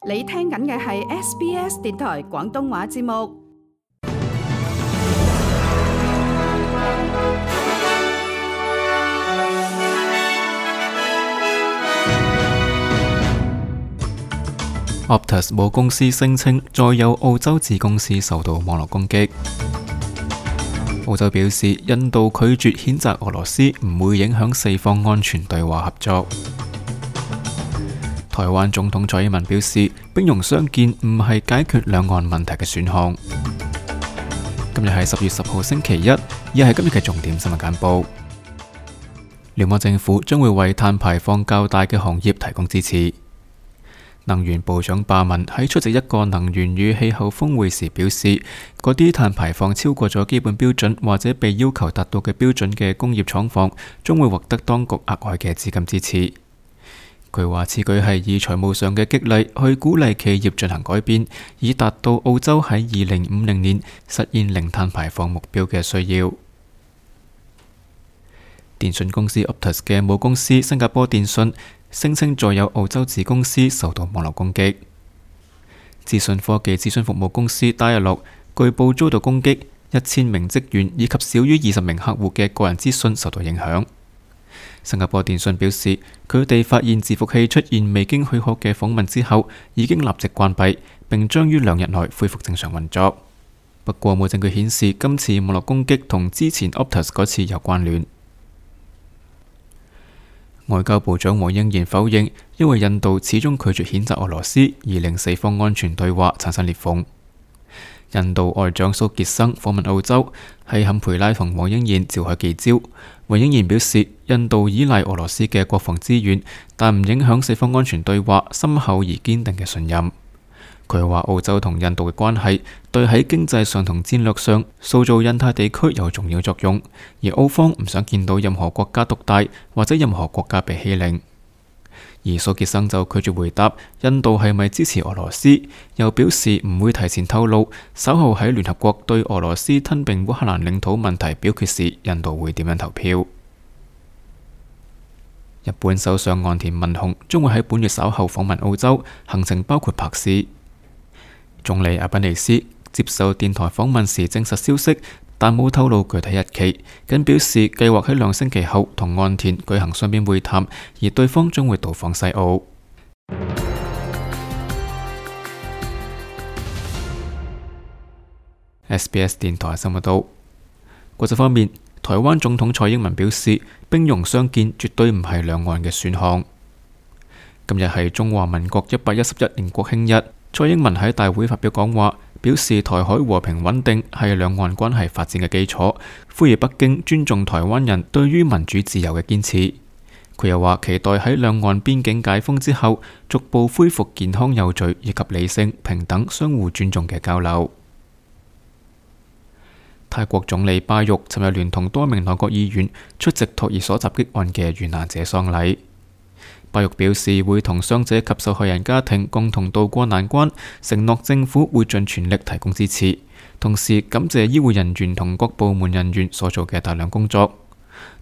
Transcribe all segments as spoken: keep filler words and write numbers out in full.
你聽緊嘅係 S B S 電台廣東話節目。Optus 母公司聲稱，再有澳洲子公司受到網絡攻擊。澳洲表示，印度拒絕譴責俄羅斯，唔會影響四方安全對話合作。台灣總統蔡英文表示，兵戎相見唔係解決兩岸問題嘅選項。今日係十月十號星期一，亦係今日嘅重點新聞簡報。聯邦政府將會為碳排放較大嘅行業提供支持。能源部長巴文喺出席一個能源與氣候峰會時表示，嗰啲碳排放超過咗基本標準或者被要求達到嘅標準嘅工業廠房，將會獲得當局額外嘅資金支持。佢話此舉係以財務上嘅激勵去鼓勵企業進行改變，以達到澳洲喺二零五零年實現零碳排放目標嘅需要。電信公司 Optus 嘅母公司新加坡電信聲稱再有澳洲子公司受到網絡攻擊。資訊科技諮詢服務公司 Dialog 據報遭到攻擊，一千名職員以及少於二十名客戶嘅個人資訊受到影響。新加坡電信表示，佢哋發現伺服器出現未經許可嘅訪問之後，已經立即關閉，並將於兩日內恢復正常運作。不過冇證據顯示今次網絡攻擊同之前 Optus 嗰次有關聯。外交部長黃英賢否認，因為印度始終拒絕譴責俄羅斯，而令四方安全對話產生裂縫。印度外長蘇傑生訪問澳洲，喺坎培拉同黃英賢召開記招。黃英賢表示，印度依賴俄羅斯嘅國防資源，但唔影響四方安全對話深厚而堅定嘅信任。佢話澳洲同印度嘅關係對喺經濟上同戰略上塑造印太地區有重要作用，而澳方唔想見到任何國家獨大或者任何國家被欺凌。而蘇傑生就拒絕回答印度係咪支持俄羅斯，又表示唔會提前透露稍後喺聯合國對俄羅斯吞併烏克蘭領土問題表決時，印度會點樣投票。日本首相岸田文雄將會喺本月稍後訪問澳洲，行程包括柏斯。總理阿賓尼斯接受電台訪問時證實消息，但冇透露具體日期，僅表示計劃喺兩星期後同岸田舉行雙邊會談，而對方將會到訪西澳。S B S 電台新聞道。國際方面，台灣總統蔡英文表示，兵戎相見絕對唔係兩岸嘅選項。今日係中華民國一百一十一年國慶日。蔡英文喺大會發表講話，表示台海和平穩定係兩岸關係發展嘅基礎，呼籲北京尊重台灣人對於民主自由嘅堅持。佢又話期待喺兩岸邊境解封之後，逐步恢復健康有序以及理性、平等、相互尊重嘅交流。泰國總理巴育尋日聯同多名內閣議員出席托兒所襲擊案嘅遇難者喪禮。巴育表示會同傷者及受害人家庭共同渡過難關，承諾政府會盡全力提供支持，同時感謝醫護人員同各部門人員所做嘅大量工作。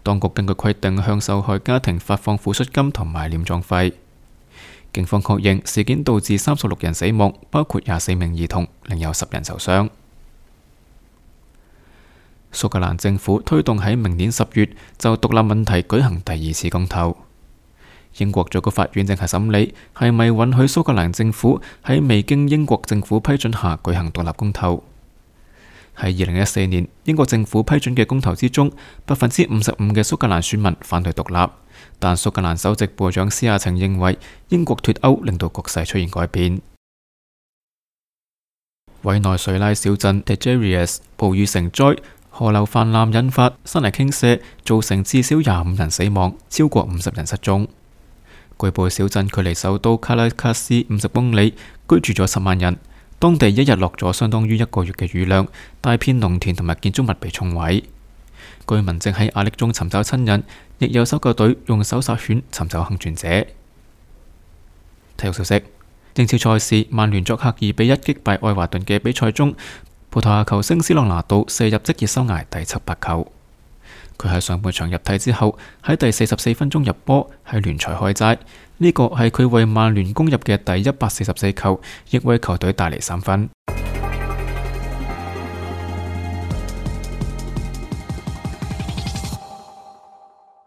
當局根據規定向受害家庭發放撫恤金同埋殮葬費。警方確認事件導致三十六人死亡，包括廿四名兒童，另有十人受傷。蘇格蘭政府推動喺明年十月就獨立問題舉行第二次公投。英國最高法院正係審理係咪允許蘇格蘭政府喺未經英國政府批准下舉行獨立公投。喺二零一四年英國政府批准嘅公投之中，百分之五十五嘅蘇格蘭選民反對獨立，但蘇格蘭首席部長施亞晴認為英國脫歐令到局勢出現改變。委內瑞拉小鎮 Tejerias 暴雨成災，河流泛濫引發山泥傾瀉，造成至少廿五人死亡，超過五十人失蹤。據報小鎮距離首都卡拉卡斯五十公里，居住咗十萬人。當地一日落咗相當於一個月嘅雨量，大片農田同埋建築物被沖毀。居民正喺壓力中尋找親人，亦有搜救隊用搜索犬尋找幸存者。體育消息：英超賽事，曼聯作客二比一擊敗愛華頓嘅比賽中，葡萄牙球星斯朗拿度射入職業生涯第七百球。佢喺上半場入替之後，喺第四十四分鐘入波，喺聯賽開齋。呢個係佢為曼聯攻入嘅第一百四十四球，亦為球隊帶嚟三分。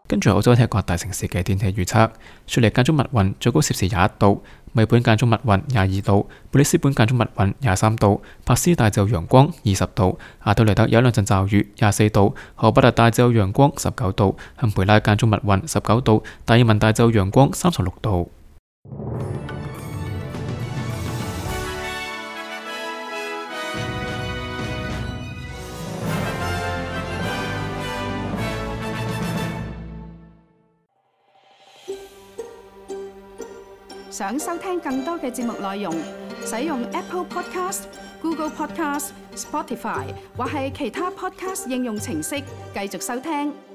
跟住澳洲踢各大城市嘅天氣預測：雪梨間中密雲，最高攝氏廿一度；墨爾本間中密雲，廿二度；布里斯本間中密雲，廿三度；珀斯大驟陽光，二十度；阿德萊德有一兩陣驟雨，廿四度；荷伯特大驟陽光，十九度；坎培拉間中密雲，十九度；達爾文大驟陽光，三十六度。想收聽更多嘅節目內容，使用 Apple Podcast、Google Podcast、Spotify 或係其他 Podcast 應用程式繼續收聽。